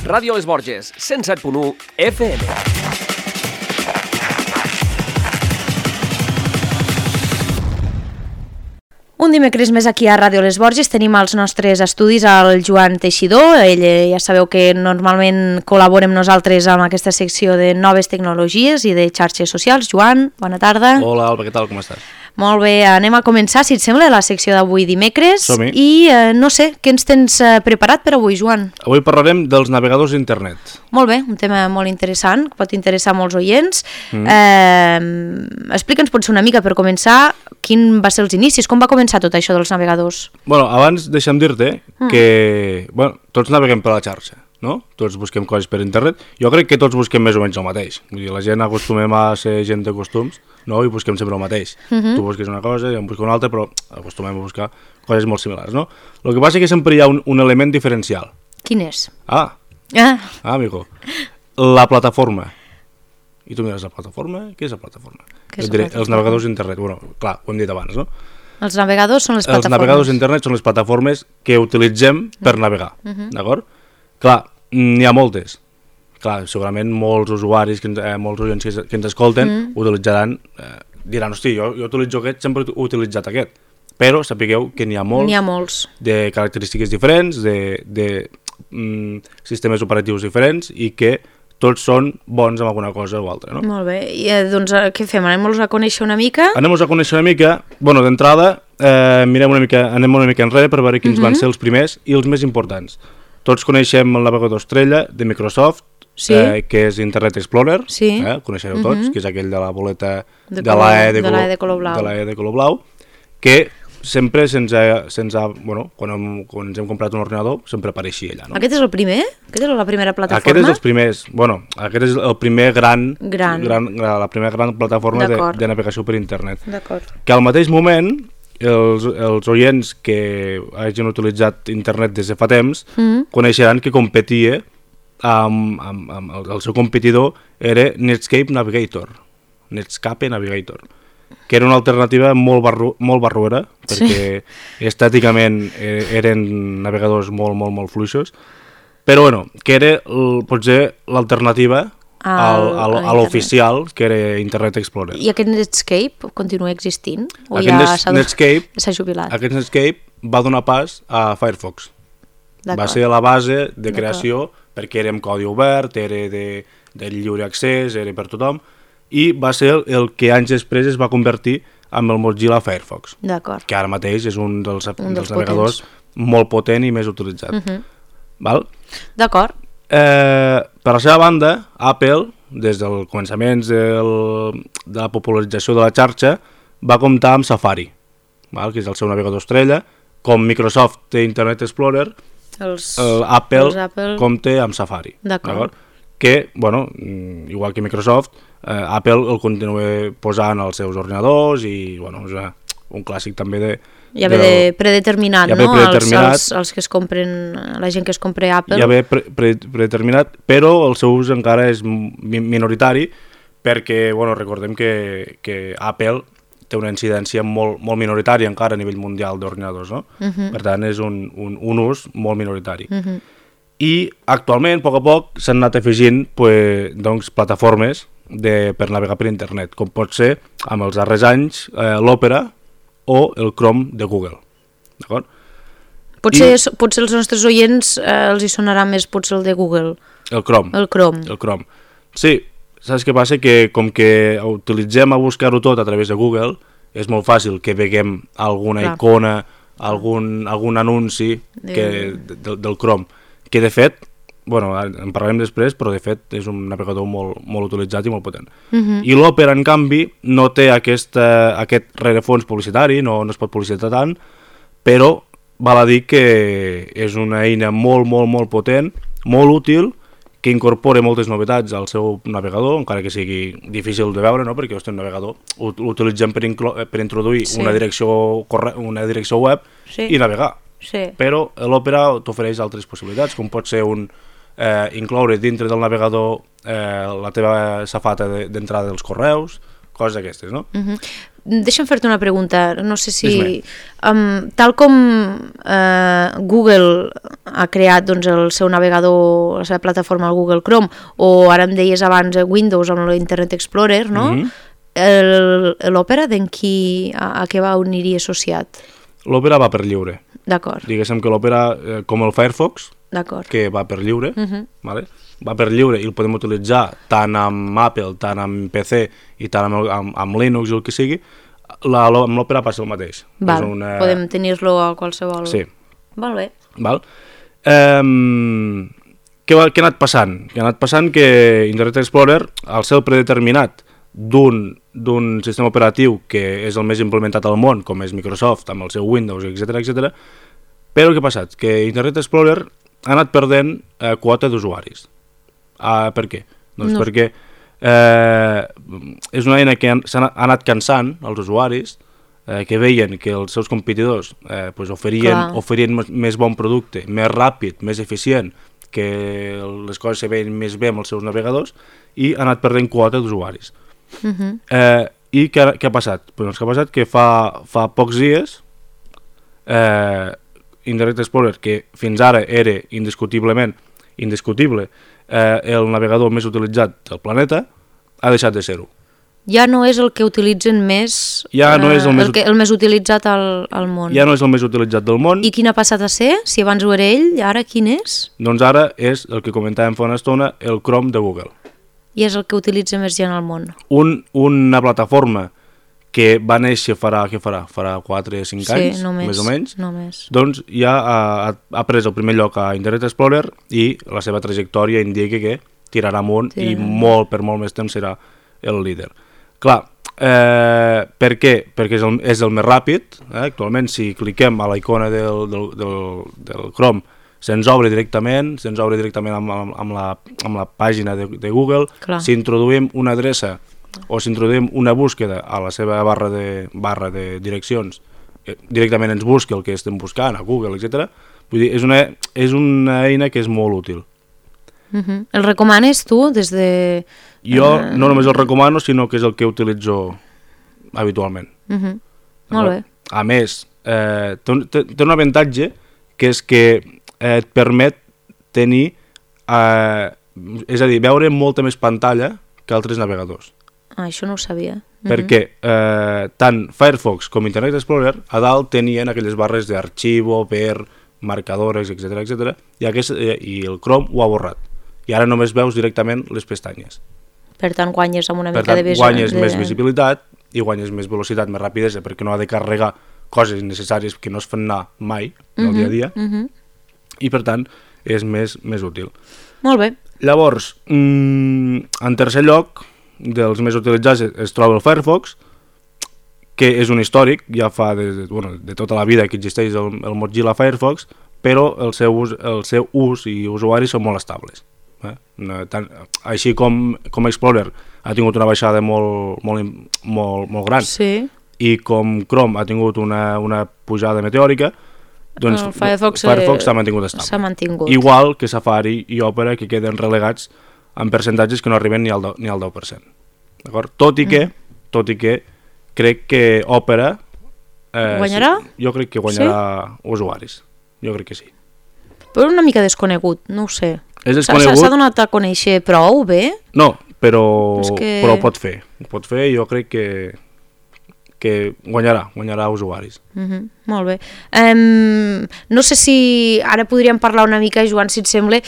Ràdio Les Borges, 107.1 FM. Un dimecres més aquí a Ràdio Les Borges tenim als nostres estudis el Joan Teixidor. Ell ja sabeu que normalment col·labora amb nosaltres amb aquesta secció de noves tecnologies i de xarxes socials. Joan, bona tarda. Hola Alba, què tal, com estàs? Molt bé, anem a començar, si et sembla, la secció d'avui dimecres. Som-hi. I no sé, què ens tens preparat per avui, Joan? Avui parlarem dels navegadors d'internet. Molt bé, un tema molt interessant, que pot interessar molts oients. Explica'ns potser una mica per començar quin va ser els inicis, com va començar tot això dels navegadors? Bueno, abans deixa'm dir-te que tots naveguem per la xarxa, no? Tots busquem coses per internet. Jo crec que tots busquem més o menys el mateix. Vull dir, la gent acostumem a ser gent de costums, no? I busquem sempre el mateix. Tu busques una cosa, jo em busco una altra, però acostumem a buscar coses molt similars, no? El que passa és que sempre hi ha un element diferencial. Quin és? Amigo. La plataforma. I tu mires la plataforma? Què és la plataforma? Què és Jo diré, la plataforma? els navegadors d'internet. Bueno, clar, ho hem dit abans, no? Els navegadors són les plataformes. Els navegadors d'internet són les plataformes que utilitzem per navegar, d'acord? Clar, n'hi ha moltes. Clar, segurament molts usuaris, molts oients que ens escolten utilitzaran, diran, hosti, jo utilitzo aquest, sempre he utilitzat aquest. Però sapigueu que n'hi ha molts de característiques diferents, de sistemes operatius diferents i que tots són bons amb alguna cosa o altra, no? Molt bé, i doncs què fem? Anem-los a conèixer una mica? Anem-los a conèixer una mica. Bueno, d'entrada, anem una mica enrere per veure quins van ser els primers i els més importants. Tots coneixem el navegador estrella de Microsoft, que és Internet Explorer, el coneixereu tots, que és aquell de la boleta de l'E de color blau, que sempre bueno, quan ens hem comprat un ordinador, sempre apareixia allà, no? Aquest és el primer? Aquesta és la primera plataforma? Aquest és els primers, bueno, aquest és el primer la primera gran plataforma de navegació per internet. D'acord. Que al mateix moment, els oients que hagin utilitzat internet des de fa temps coneixeran que competia amb el seu competidor era Netscape Navigator, que era una alternativa molt barruera, perquè estèticament eren navegadors molt fluixos, però bueno, que era potser l'alternativa a l'oficial, que era Internet Explorer. I aquest Netscape continua existint? O Netscape s'ha jubilat? Aquest Netscape va donar pas a Firefox. Va ser la base de creació, perquè era amb codi obert, era de lliure accés, era per tothom, i va ser el que anys després es va convertir en el Mozilla Firefox, que ara mateix és un dels navegadors molt potent i més utilitzat. D'acord. Per la seva banda, Apple, des dels començaments de la popularització de la xarxa, va comptar amb Safari, que és el seu navegador estrella. Com Microsoft té Internet Explorer, Apple compta amb Safari. D'acord. Que, bueno, igual que Microsoft, Apple el continua posant als seus ordinadors i, bueno, és un clàssic també de... Ja ve predeterminat, no? Els que es compren, la gent que es compra Apple. Ja ve predeterminat, però el seu ús encara és minoritari, perquè, bueno, recordem que Apple té una incidència molt minoritària encara a nivell mundial d'ordinadors, no? Per tant, és un ús molt minoritari. I actualment, a poc, s'han anat afegint plataformes per navegar per internet, com pot ser, amb els darrers anys, l'Opera o el Chrome de Google. D'acord? Potser els nostres oients els hi sonarà més potser el de Google. El Chrome. Sí, saps què passa? Que com que utilitzem a buscar-ho tot a través de Google, és molt fàcil que veguem alguna icona, algun anunci del Chrome, que de fet, bueno, en parlarem després, però de fet és un navegador molt utilitzat i molt potent. I l'Opera, en canvi, no té aquest rerefons publicitari, no es pot publicitar tant, però val a dir que és una eina molt potent, molt útil, que incorpora moltes novetats al seu navegador, encara que sigui difícil de veure, no? Perquè un navegador l'utilitzem per introduir una direcció web i navegar. Però l'Opera t'ofereix altres possibilitats, com pot ser incloure dintre del navegador la teva safata d'entrada dels correus, coses d'aquestes, no? Deixa'm fer-te una pregunta, no sé si... tal com Google ha creat doncs, el seu navegador, la seva plataforma, el Google Chrome, o ara em deies abans Windows amb l'Internet Explorer, no? L'Opera a què va uniria associat? L'Opera va per lliure. D'acord. Diguéssim que l'Opera, com el Firefox, que va per lliure, vale? Va per lliure i el podem utilitzar tant amb Apple, tant amb PC i tant amb Linux o el que sigui, amb l'Opera passa el mateix. Podem tenir-lo a qualsevol... Sí. Molt bé. Val? Què ha anat passant? Què ha anat passant que Internet Explorer, al ser predeterminat d'un sistema operatiu que és el més implementat al món, com és Microsoft, amb el seu Windows, etc. Però què ha passat? Que Internet Explorer ha anat perdent quota d'usuaris. Per què? Doncs perquè és una eina que ha anat cansant els usuaris, que veien que els seus competidors oferien més bon producte, més ràpid, més eficient, que les coses se veien més bé amb els seus navegadors, i ha anat perdent quota d'usuaris. I què ha passat? Doncs que ha passat que fa pocs dies Internet Explorer, que fins ara era indiscutible el navegador més utilitzat del planeta, ha deixat de ser-ho. Ja no és el que utilitzen més, el més utilitzat al món. Ja no és el més utilitzat del món. I quin ha passat a ser? Si abans ho era ell, ara quin és? Doncs ara és el que comentàvem fa una estona, el Chrome de Google. I és el que utilitza més gent al món. Una plataforma que va néixer farà 4 o 5 anys, més o menys, doncs ja ha pres el primer lloc a Internet Explorer i la seva trajectòria indica que tirarà amunt i per molt més temps serà el líder. Clar, per què? Perquè és el més ràpid. Actualment, si cliquem a la icona del Chrome, se'ns obre directament amb la pàgina de Google. Si introduïm una adreça o si introduïm una búsqueda a la seva barra de direccions, directament ens busca el que estem buscant, a Google, etc. Vull dir, és una eina que és molt útil. El recomanes tu des de... Jo no només el recomano, sinó que és el que utilitzo habitualment. Molt bé. A més, té un avantatge, que és que et permet tenir, és a dir, veure molta més pantalla que altres navegadors. Això no ho sabia. Perquè tant Firefox com Internet Explorer a dalt tenien aquelles barres d'arxivo, per marcadores, etc. I el Chrome ho ha borrat. I ara només veus directament les pestanyes. Per tant, guanyes amb una mica de... guanyes més visibilitat i guanyes més velocitat, més rapidesa, perquè no ha de carregar coses innecessàries que no es fan anar mai, del dia a dia, i per tant és més útil. Molt bé. Llavors, en tercer lloc, dels més utilitzats es troba el Firefox, que és un històric, ja fa de tota la vida que existeix el Mozilla Firefox, però el seu ús i usuaris són molt estables. Així com Explorer ha tingut una baixada molt gran, i com Chrome ha tingut una pujada meteòrica, doncs Firefox s'ha mantingut estable. Igual que Safari i Opera, que queden relegats en percentatges que no arriben ni al 10%. Tot i que crec que Opera guanyarà? Jo crec que guanyarà usuaris. Jo crec que sí. Però una mica desconegut, no ho sé. S'ha donat a conèixer prou bé? No, però ho pot fer. Jo crec que guanyarà usuaris. Molt bé. No sé si ara podríem parlar una mica, Joan, si et sembla...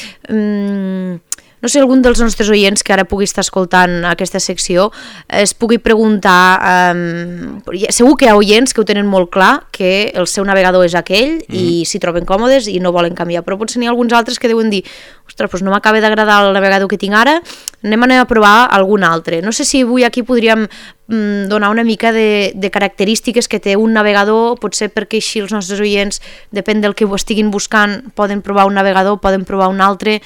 No sé, algun dels nostres oients que ara pugui estar escoltant aquesta secció es pugui preguntar... Segur que hi ha oients que ho tenen molt clar, que el seu navegador és aquell i s'hi troben còmodes i no volen canviar, però potser n'hi ha alguns altres que deuen dir ostres, doncs no m'acaba d'agradar el navegador que tinc ara, anem a provar algun altre. No sé si avui aquí podríem donar una mica de característiques que té un navegador, potser perquè així els nostres oients, depèn del que ho estiguin buscant, poden provar un navegador, poden provar un altre...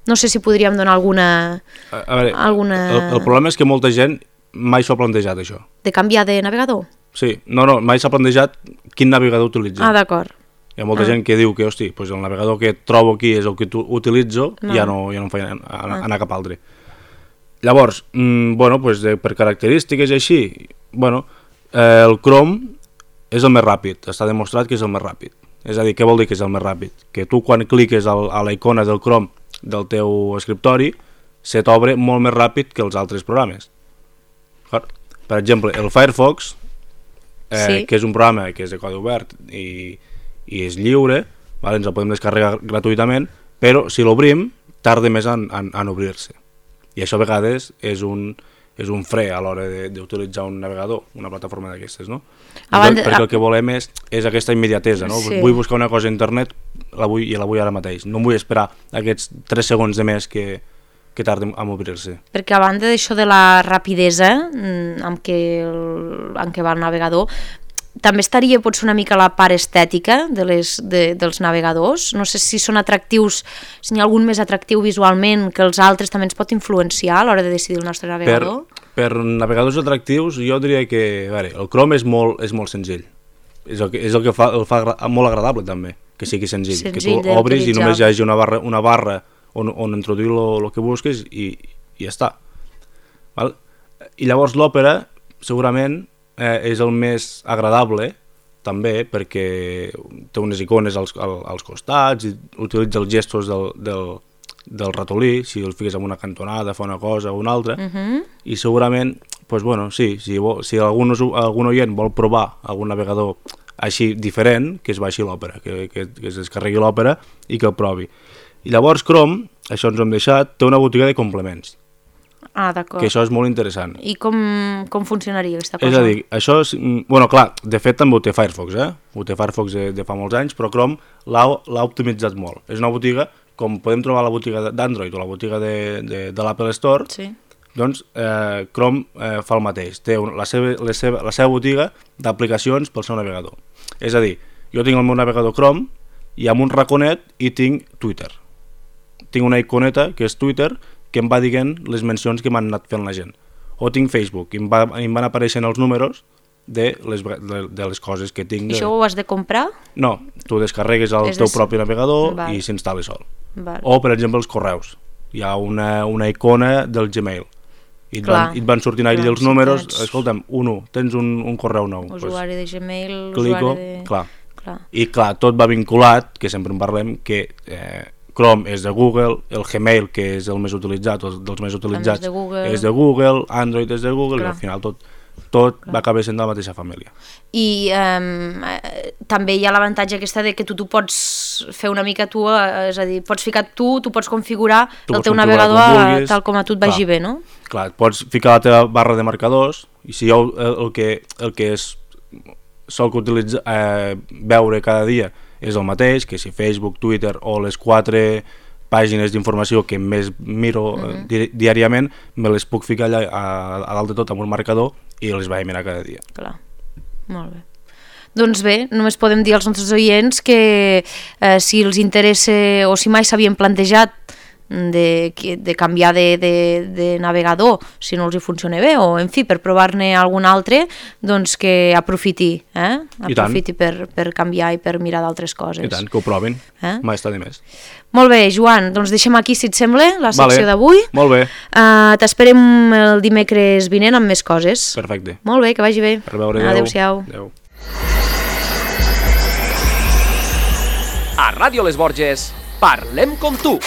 No sé si podríem donar alguna... El problema és que molta gent mai s'ho ha plantejat, això. De canviar de navegador? Sí, mai s'ha plantejat quin navegador utilitza. Ah, d'acord. Hi ha molta gent que diu que, hosti, el navegador que trobo aquí és el que utilitzo, ja no em fa anar cap altre. Llavors, per característiques i així, el Chrome és el més ràpid, està demostrat que és el més ràpid. És a dir, què vol dir que és el més ràpid? Que tu quan cliques a la icona del Chrome del teu escriptori se t'obre molt més ràpid que els altres programes. Per exemple, el Firefox, que és un programa que és de codi obert i és lliure, ens el podem descarregar gratuïtament, però si l'obrim tarda més en obrir-se. I això a vegades és un fre a l'hora d'utilitzar un navegador, una plataforma d'aquestes, no? Perquè el que volem és aquesta immediatesa, no? Sí. Vull buscar una cosa a internet i la vull ara mateix. No vull esperar aquests 3 segons de més que tarda en obrir-se. Perquè a banda d'això de la rapidesa amb què va el navegador, també estaria potser una mica la part estètica dels navegadors. No sé si són atractius, si n'hi ha algun més atractiu visualment que els altres també ens pot influenciar a l'hora de decidir el nostre navegador. Per navegadors atractius jo diria que el Chrome és molt senzill. És el que el fa molt agradable també, que sigui senzill que tu obris i només hi hagi una barra on introduir el que busques i ja està. I llavors l'Opera segurament és el més agradable també perquè té unes icones als costats i utilitza els gestos del ratolí, si el fiques en una cantonada fa una cosa o una altra, i segurament si algun oient vol provar algun navegador així diferent, que es baixi l'Opera, que es descarregui l'Opera i que el provi. I llavors Chrome, això ens ho hem deixat, té una botiga de complements. D'acord. Que això és molt interessant. I com funcionaria aquesta cosa? És a dir, això és... clar, de fet també ho té Firefox, Ho té Firefox de fa molts anys, però Chrome l'ha optimitzat molt. És una botiga, com podem trobar la botiga d'Android o la botiga de l'Apple Store, doncs Chrome fa el mateix. Té la seva botiga d'aplicacions pel seu navegador. És a dir, jo tinc el meu navegador Chrome i amb un raconet hi tinc Twitter. Tinc una iconeta que és Twitter, que em va dient les mencions que m'han anat fent la gent. O tinc Facebook, i em van apareixent els números de les coses que tinc. I això ho has de comprar? No, tu descarregues el teu propi navegador i s'instal·la sol. O, per exemple, els correus. Hi ha una icona del Gmail. I et van sortint allà els números. Escolta'm, tens un correu nou. Usuari de Gmail, clico, clar. I clar, tot va vinculat, que sempre en parlem, que Chrome és de Google, el Gmail, que és el més utilitzat, dels més utilitzats, és de Google, Android és de Google, i al final tot va acabar sent de la mateixa família. I també hi ha l'avantatge aquesta de que tu pots fer una mica tu, és a dir, pots ficar tu pots configurar el teu navegador tal com a tu et vagi bé, no? Clar, pots ficar la teva barra de marcadors, i si jo el que sol veure cada dia és el mateix, que si Facebook, Twitter o les 4 pàgines d'informació que més miro diàriament, me les puc ficar allà a dalt de tot amb un marcador i les vaig mirar cada dia. Clar, molt bé. Doncs bé, només podem dir als nostres oients que si els interessa o si mai s'havien plantejat de canviar de navegador si no els hi funciona bé, o en fi, per provar-ne algun altre, doncs que aprofiti per canviar i per mirar d'altres coses. I tant, que ho provin, mai està de més. Molt bé, Joan, doncs deixem aquí, si et sembla, la secció d'avui. Molt bé. T'esperem el dimecres vinent amb més coses. Perfecte. Molt bé, que vagi bé. Per veure, adéu-siau. Adéu. A Ràdio Les Borges, parlem com tu.